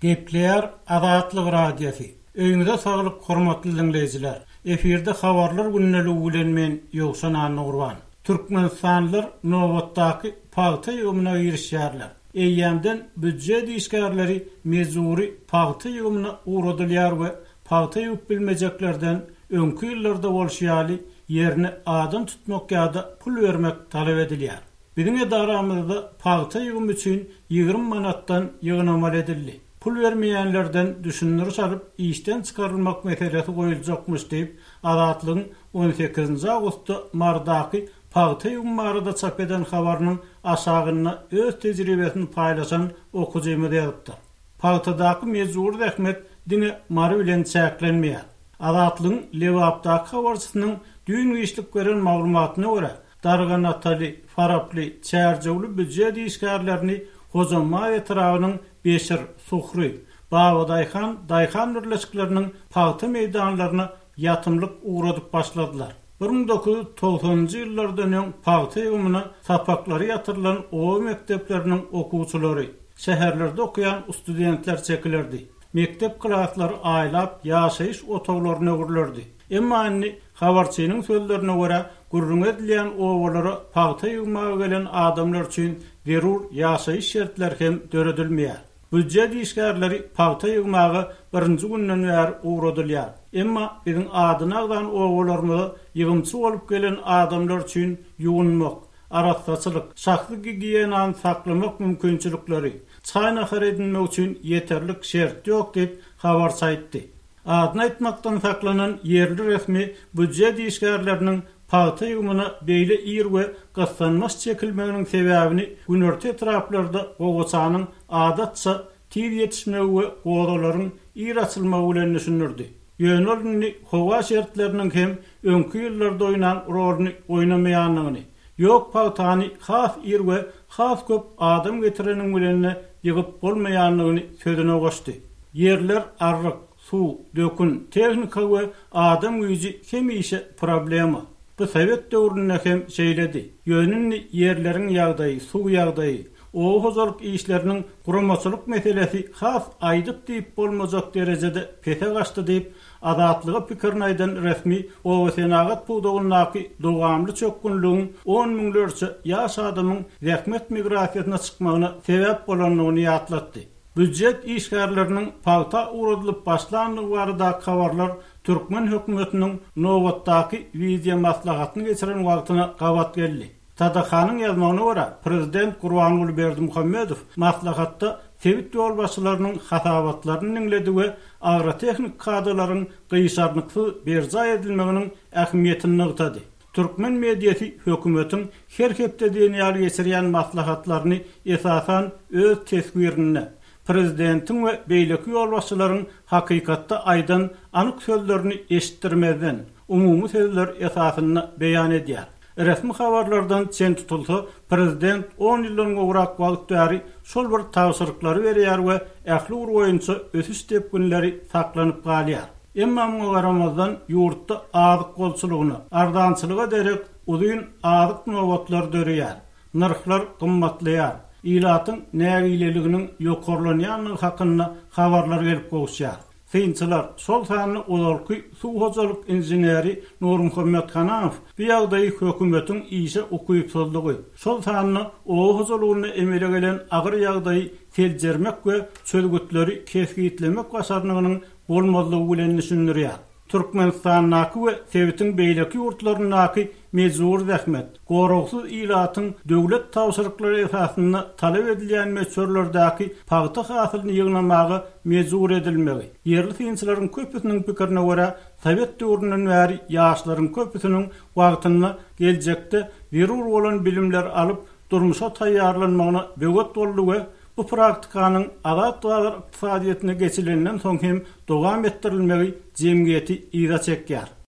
Gepleýär Azatlyk Radiosy. Öýüňize saglyk hormatly diňleýjiler. Efirde habarlar gündeligi bilen men Ýowşan Annagurban. Türkmenistanlylar nobatdaky pagta ýygymyna girişýärler. Eýýämden býudjet işgärleri mejbury pagta ýygymyna ugradylýar we pagta ýygyp bilmejeklerden öňki ýyllarda bolşy ýaly ýerine adam tutmak ýa-da pul bermek talap edilýär. Biziň edaramyzda pagta ýygymy üçin 20 manatdan ýygnamaly edildi. Pul bermeýänlerden düşündiriş alyp, işden çykarylmak meselesi goýuljakmyş diýip, Azatlygyň on sekizinji awgustda Marydaky pagta ýygymy barada çap eden habarynyň aşagynda öz tejribesini paýlaşan okyjymyz ýazypdyr. Pagtadaky mejbury zähmet diňe Mary bilen çäklenmeýär. Azatlygyň Lebapdaky habarçysynyň düýn giçlik beren maglumatyna görä, Darganataly, Faraply, Çärjewli býujet işgärlerini Hojambaz etrabynyň Beşir, Suhry, Babadaýhan daýhan birleşikleriniň pagta meýdanlaryna ýatymlyk ugradyp başladylar. 1990-njy ýyllardan öň pagta ýygymyna sapaklary ýatyrylan oba mekdepleriniň okuwçylary, şäherlerde okaýan studentler çekilerdi. Mekdep klaslary aýlap ýaşaýyş otaglaryna öwrülerdi. Emma indi, habarçynyň sözlerine görä, gürrüňi edilýän obalara pagta ýygmaga gelen adamlar üçin zerur ýaşaýyş şertleri hem döredilmeýär. Býujet işgärleri pagta ýygmaga birinji günden bäri ugradylýar. Emma biziň adyny agzan obalarymyza ýygymçy bolup gelen adamlar üçin ýuwunmak, arassaçylyk, şahsy gigiýenany saklamak mümkinçilikleri, çaý-nahar edinmek üçin ýeterlik şert ýok diýip, habarçy aýtdy. Adyny aýtmakdan saklanan ýerli resmi býujet işgärleriniň pagta ýygymyna beýle ir we gyssanmaç çekilmeginiň sebäbini günorta etraplarda gowaçanyň adatça tiz ýetişmegi we gozalaryň ir açylmagy bilen düşündirdi. Ýöne ol indi howa şertleriniň hem öňki ýyllarda oýnan roluny oýnamaýandygyny, ýok pagtany has ir we has köp adam getireniň bilen-de ýygyp bolmaýandygyny sözüne goşdy. Ýerler arryk, suw, dökün, tehnika we adam güýji hemişe problema. Bu sowet döwründe hem şeýledi. Ýöne indi ýerleriň ýagdaýy, suw ýagdaýy, oba hojalyk işleriniň guramaçylyk meselesi has aýdyp-diýip bolmajak derejede pese gaçdy diýip, Azatlyga pikirini aýdan resmi obasenagat pudagyndaky dowamly çökgünligiň on müňlerçe ýaş adamyň zähmet migrasiýasyna çykmagyna sebäp bolandygyny ýatlatdy. Býujet işgärleriniň pagta ugradylyp başlandygy baradaky habarlar türkmen hökümetiniň nobatdaky wideomaslahatyny geçiren wagtyna gabat geldi. TDH-nyň ýazmagyna görä, prezident Gurbanguly Berdimuhamedow maslahatda sebit ýolbaşçylarynyň hasabatlaryny diňledi we agrotehniki kadalaryň gyşarnyksyz berjaý edilmeginiň ähmiýetini nygtady. Türkmen mediasy hökümetiň her hepde diýen ýaly geçirýän maslahatlaryny esasan öz teswirinde, prezidentiň we beýleki ýolbaşçylaryň hakykatda aýdan anyk sözlerini eşitdirmezden, umumy sözler esasynda beýan edýär. Resmi habarlardan çen tutulsa, prezident on ýyldan gowrak wagt bäri şol bir tabşyryklary berýär we ähli ugur boýunça ösüş depginleri saklanyp galýar. Emma muňa garamazdan, ýurtda azyk bolçulygyna, arzançylyga derek uzyn azyk nobatlary döreýär, nyrhlar gymmatlaýar, ilatyň nägileliginiň ýokarlanýandygy hakynda habarlar gelip gowuşýar. Synçylar, şol sanda ozalky suw hojalyk inženeri Nurmuhammet Hanamow bu ýagdaýy hökümetiň işe ukypsyzlygy, şol sanda oba hojalygynda emele gelen agyr ýagdaýy seljermek we çözgütleri kesgitlemek başarnygynyň bolmazlygy bilen düşündirýär. Türkmenistandaky we sebitiň beýleki ýurtlaryndaky mejbury zähmet, goragsyz ilatyň döwlet tabşyryklary esasynda talap edilýän möçberlerdäki pagta hasylyny ýygnamaga mejbur edilmegi, ýerli synçylaryň köpüsiniň pikirine görä, sowet döwründen bäri ýaşlaryň köpüsiniň wagtynda geljekde zerur bolan bilimleri alyp, durmuşa taýýarlanmagyna böwet boldy we bu praktikanyň azat bazar ykdysadyýetine geçilenden soň hem dowam etdirilmegi jemgyýeti yza çekýär.